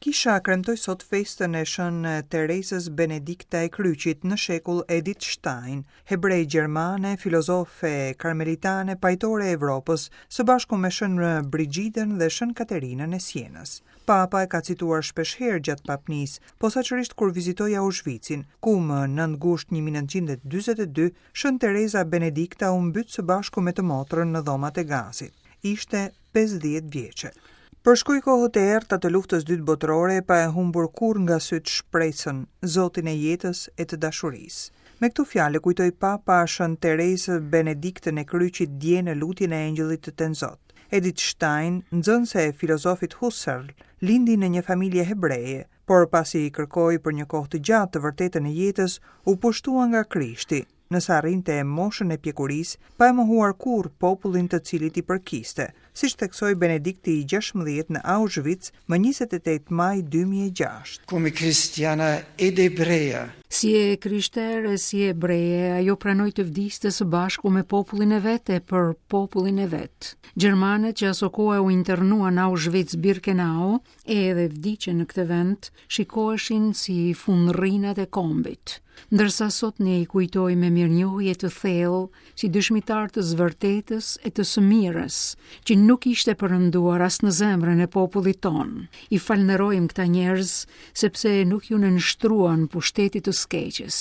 Kisha kremtoi sot festën e Shën Terezës Benedikta e Kryqit në shekull Edith Stein, hebre gjermane, filozofe karmelitane, pajtore e Evropës, së bashku me Shën Brigidën dhe Shën Katerinën e Sienës. Papa e ka cituar shpeshherë gjatë papnisë, posaçërisht kur vizitoi Aushvicin, ku më 9 gusht 1942 Shën Tereza Benedikta u mbyt së bashku me të motrën në dhomat e gazit. Ishte 50 vjeçe. Përshkoi kohët e errëta të Luftës Dytë Botërore pa e humbur kurrë nga sytë shpresën, Zotin e jetës e të dashurisë. Me këto fjalë e kujtoi Papa Shën Terezë Benediktën e Kryqit dje në lutjen e Engjëllit të Tenzot. Edith Stein, nxënëse e filozofit Husserl, lindi në një familje hebreje, por pasi kërkoi për një kohë të gjatë të vërtetën e jetës, u pushtua nga Krishti, nëse arrinte moshën e pjekurisë, pa e mohuar kurrë popullin të cilit i përkiste, siç theksoi Benedikti i XVI në Auschwitz më 28 maj 2006. Come cristiana ed ebrea. Si e krishterë e si ebreje, ajo pranoi të vdiste së bashku me popullin e vet e për popullin e vet. Gjermanët që asokohe u internuan në Auschwitz-Birkenau e edhe vdiqën në këtë vend, shikoheshin si fundrrinat e kombit. Ndërsa sot ne i kujtojmë me mirënjohje të thellë si dëshmitarë të së vërtetës e të së mirës, që nuk ishte perënduar as në zemrën e popullit tonë. I falënderojmë këta njerëz sepse nuk iu nënshtruan pushtetit të së keqes.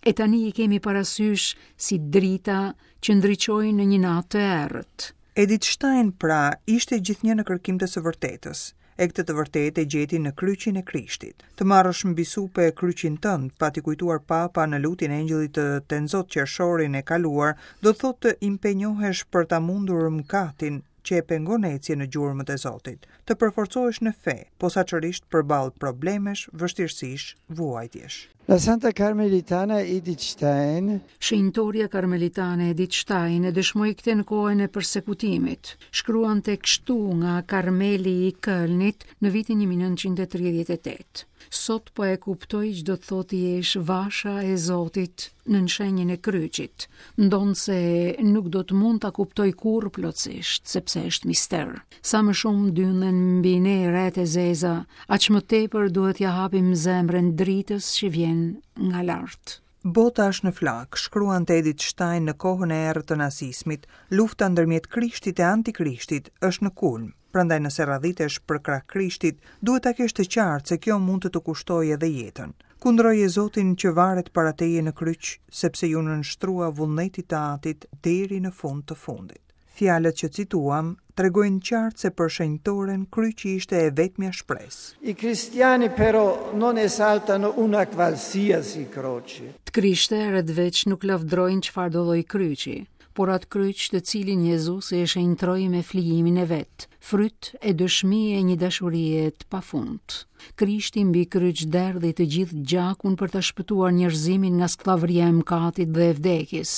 E tani i kemi parasysh si drita që ndriçojnë në një natë të errët. Edith Stein, pra, ishte gjithnjë në kërkim të së vërtetës, e këtë të vërtetë e gjeti në kryqin e Krishtit. Të marrësh mbi supe kryqin tënd, pati kujtuar Papa në lutjen e Engjëllit të Tenzot qershorin e kaluar, do të thotë të impenjohesh për ta mundur mëkatin që e pengon ecjen në gjurmët e Zotit, të përforcohesh në fe, posaçërisht përballë problemesh, vështirësish, vuajtjesh. La Santa Carmelitana Edith Stein. Shenjtorja karmelitane Edith Stein e dëshmoi këtë në kohën e persekutimit. Shkruante kështu nga Karmeli i Kölnit në vitin 1938. Sot po e kuptoj ç'do të thotë të jesh vasha e Zotit nën shenjën e kryqit, ndonëse nuk do të mund ta kuptoj kurrë plotësisht, sepse është mister. Sa më shumë dynden mbi ne retë e zeza, aq më tepër duhet t'ia hapim zemrën dritës që vjen nga lart. Bota është në flakë, shkruante Edith Stein në kohën e errët të nazizmit, lufta ndërmjet Krishtit e Antikrishtit është në kulm. Prandaj nëse radhitesh përkrah Krishtit, duhet ta kesh të qartë se kjo mund të të kushtojë edhe jetën. Kundroje Zotin që varet para teje në kryq, sepse iu nënshtrua vullnetit të Atit deri në fund të fundit. Fjalët që cituam tregojnë qartë se për shenjtoren kryqi ishte e vetmja shpresë. I cristiani però non esaltano una qualsiasi croce. Të krishterët veç nuk lavdërojnë çfarëdo lloj kryqi, por atë kryq të cilin Jezusi e shenjtëroi me flijimin e vet, fryt e dëshmi e një dashurie të pafund. Krishti mbi kryq derdhi të gjithë gjakun për ta shpëtuar njerëzimin nga skllavëria e mëkatit dhe e vdekjes.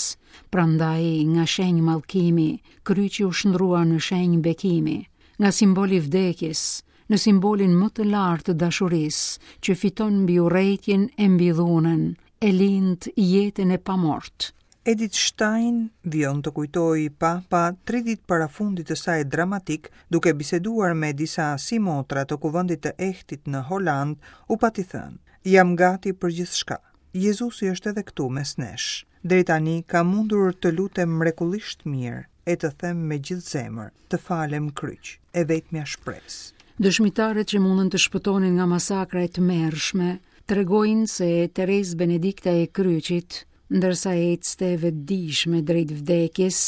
Prandaj, nga shenjë mallkimi, kryqi u shndërrua në shenjë bekimi, nga simbol i vdekjes, në simbolin më të lartë të dashurisë, që fiton mbi urrejtjen e mbi dhunën, e lind jetën e pamortë. Edith Stein vijon të kujtojë Papa tri ditë para fundit të saj dramatik, duke biseduar me disa simotra të kuvendit të Ehtit në Holandë, u pati thënë: Jam gati për gjithçka. Jezusi është edhe këtu mes nesh. Deri tani kam mundur të lutem mrekullisht mirë e të them me gjithë zemër, të falem kryq, e vetmja shpresë. Dëshmitarët që mundën të shpëtonin nga masakra e tmerrshme, tregojnë se Terezë Benedikta e Kryqit, ndërsa ecte e vetëdijshme drejt vdekjes,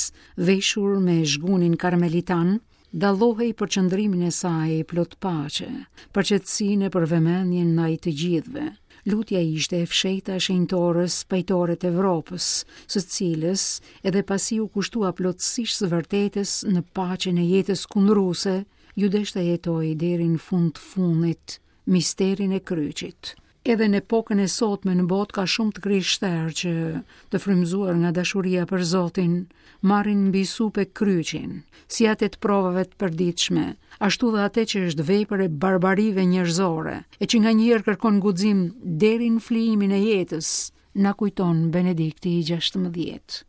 veshur me zhgunin karmelitan, Dallohej për qëndrimin e saj plot paqe, për qetësinë e për vëmendjen ndaj të gjithëve. Lutja ishte e fshehta e shenjtores pajtore të Evropës, së cilës edhe pasi iu kushtua plotësisht së vërtetës në paqen e jetës kundruese, iu desh ta jetojë deri në fund të fundit misterin e kryqit. Edhe në epokën e sotme në botë ka shumë të krishterë që, të frymëzuar nga dashuria për Zotin, marrin mbi supe kryqin, si atë të provave të përditshme, ashtu dhe atë që është vepër e barbarive njerëzore, e që nganjëherë kërkon guxim deri në flijimin e jetës, na kujton Benedikti i 16.